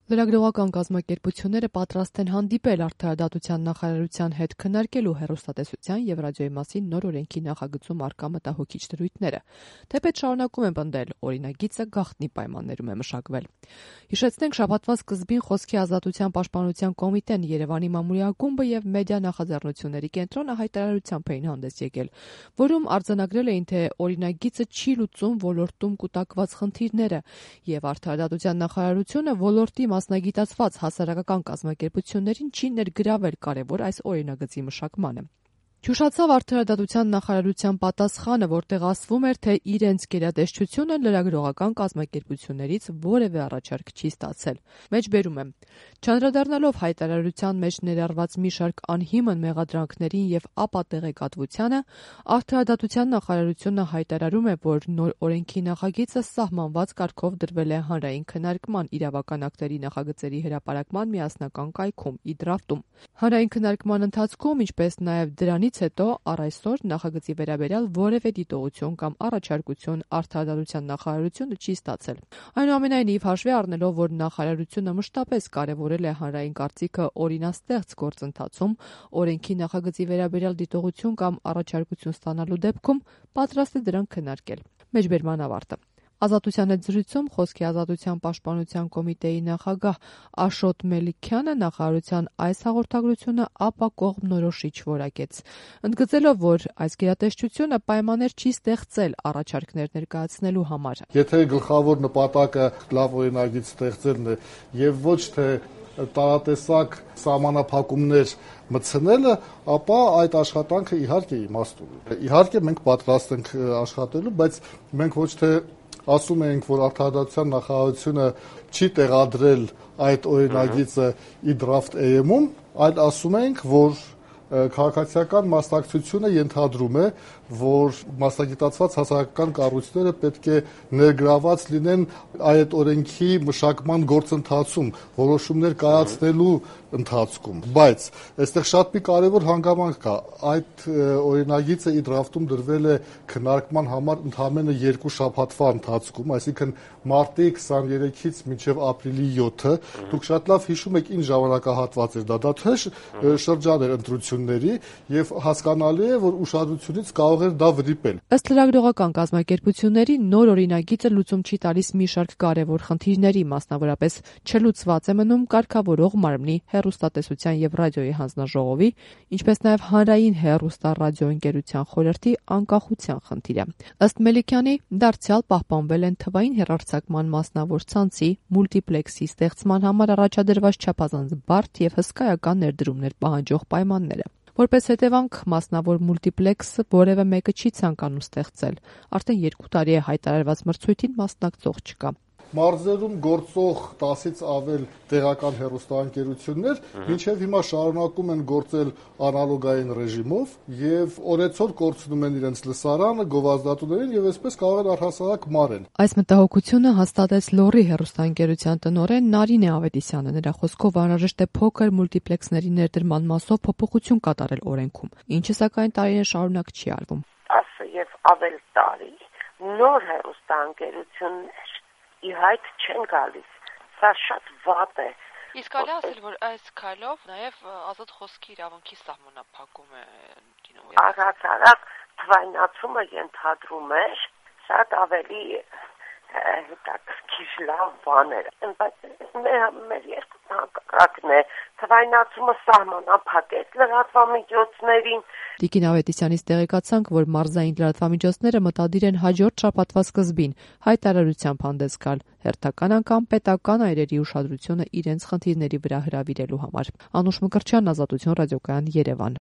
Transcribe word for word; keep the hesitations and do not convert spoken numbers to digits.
Լրագրողական կազմակերպությունները պատրաստ են հանդիպել Արդարադատության նախարարության հետ քննարկելու հեռուստատեսության և ռադիոյի մասին նոր օրենքի նախագծում առկա մտահոգիչ դրույթները, թեպետ շարունակում են պնդել, օրինագիծը գաղտնի պայմաններում է մշակվել։ Հիշեցնենք, շաբաթվա սկզբին Խոսքի ազատության պաշտպանության կոմիտեն, Երևանի մամուլի ակումբը և մեդիա նախաձեռնությունների կենտրոնը հայտարարությամբ էին հանդես եկել, որում արձանագրել էին, թե օրինագիծը չի լուծում ոլորտում կուտակված խնդիրները, և Արդարադատության նախարարությունը ոլորտի մասնագիտացված հասարակական կազմակերպություններին չի ներգրավել կարևոր այս օրինագծի մշակմանը։ Հյուշացավ Արդարադատության նախարարության պատասխանը, որտեղ ասվում էր, թե իրենց գերատեսչությունը լրագրողական կազմակերպություններից որևէ առաջարկ չի ստացել։ Մեջբերում եմ. Չանդրադառնալով հայտարարության մեջ ներառված մի շարք անհիմն մեղադրանքներին և ապատեղեկատվությանը, Արդարադատության նախարարությունը հայտարարում է, որ նոր օրենքի նախագիծը սահմանված կարգով դրվել է հանրային քննարկման իրավական ակտերի նախագծերի հրապարակման միասնական կայքում՝ իդրաֆտում։ Հանրային քննարկման ընթացքում, ինչպես նաև դրանից հետո առ այսօր նախագծի վերաբերյալ որևէ դիտողություն կամ առաջարկություն Արդարադատության նախարարությունը չի ստացել։ Այնուամենայնիվ, հաշվի առնելով, որ նախարարությունը մշտապես կարևորել է հանրային կարծիքը օրինաստեղծ գործընթացում, օրենքի նախագծի վերաբերյալ դիտողություն կամ առաջարկություն ստանալու դեպքում պատրաստ է դրանք քննարկել։ Մեջբերման ավարտը։ Ազատության հետ զրույցում Խոսքի ազատության պաշտպանության կոմիտեի նախագահ Աշոտ Մելիքյանը նախարարության այս հաղորդագրությունը ապակողմնորոշիչ որակեց, ընդգծելով, որ այս գերատեսչությունը պայմաններ չի ստեղծել առաջարկներ ներկայացնելու համար։ Եթե գլխավոր նպատակը լավ օրինագիծ ստեղծելն է եւ ոչ թե տարատեսակ սահմանափակումներ մտցնելը, ապա այդ աշխատանքը իհարկե իմաստ ունի։ Իհարկե մենք պատրաստ ենք աշխատելու, բայց մենք ոչ թե ասում ենք, որ Արդարադատության նախարարությունը չի տեղադրել այդ օրինագիծը իդրաֆտ էյ էմ-ում, այլ ասում ենք, որ քաղաքացիական մասնակցությունը ենթադրում է, որ մասնագիտացված հասարակական կառույցները պետք է ներգրաված լինեն այդ օրենքի մշակման գործընթացում, որոշումներ կայացնելու ընթացքում, բայց այստեղ շատ մի կարևոր հանգամանք կա։ Այդ օրինագիծը իդրաֆտում դրվել է քննարկման համար ընդամենը երկու շաբաթվա ընթացքում, այսինքն մարտի քսաներեքից մինչև ապրիլի յոթը։ Դուք շատ լավ հիշում եք ինչ ժամանակահատված էր դա, դա թեժ շրջան էր ընտրությունների եւ հասկանալի է, որ ուշադրությունից կարող էր դա վրիպել։ Ըստ լրագրողական կազմակերպությունների, նոր օրինագիծը լուծում չի տալիս մի շարք կարևոր խնդիրների, մասնավորապես չլուծված է մնում կարգավորող մարմնի հեռուստատեսության և ռադիոյի հանձնաժողովի, ինչպես նաև հանրային հեռուստառադիոընկերության խորհրդի անկախության խնդիրը։ Ըստ Մելիքյանի, դարձյալ պահպանվել են թվային հեռարձակման մասնավոր ցանցի մուլտիպլեքսի ստեղծման համար առաջադրված չափազանց բարդ և հսկայական ներդրումներ պահանջող պայմանները։ Որպես հետևանք, մասնավոր մուլտիպլեքսը որևէ մեկը չի ցանկանում ստեղծել։ Արդեն երկու տարի է հայտարարված մրցույթին մասնակցող չկա։ Մարզերում գործող տասից ավել տեղական հեռուստաընկերություններ մինչև հիմա շարունակում են գործել անալոգային ռեժիմով եւ օրեցօր կորցնում են իրենց լսարանը, գովազդատուներին եւ այսպես կարող են առհասարակ մարել։ Այս մտահոգությունը հաստատեց Լոռի հեռուստաընկերության տնօրեն Նարինե Ավետիսյանը։ Նրա խոսքով անհրաժեշտ է փոքր մուլտիպլեքսների ներդրման մասով փոփոխություն կատարել օրենքում, ինչը սակայն տարիներ շարունակ չի արվում։ Ասը եւ ավել տարի նոր հեռուստաընկերություններ ի հայտ չեն գալիս, սա շատ վատ է։ Իսկ կարելի ասել, որ այս քայլով նաև ազատ խոսքի իրավունքի սահմանափակում է լինում։ Առհասարակ թվայնացումը ենթադրում էր շատ ավելի հետաքրքիր լավ բաներ, բայց մեր երկու հակառակն է, թվայնացումը սահմանափակեց լրատվամիջոցներին։ Տիկին Ավետիսյանից տեղեկացանք, որ մարզային լրատվամիջոցները մտադիր են հաջորդ շաբաթվա սկզբին հայտարարությամբ հանդես գալ, հերթական անգամ պետական այրերի ուշադրությունը իրենց խնդիրների վրա հրավիրելու համար։ Անուշ Մկրտչյան, Ազատություն ռադիոկայան, Երևան։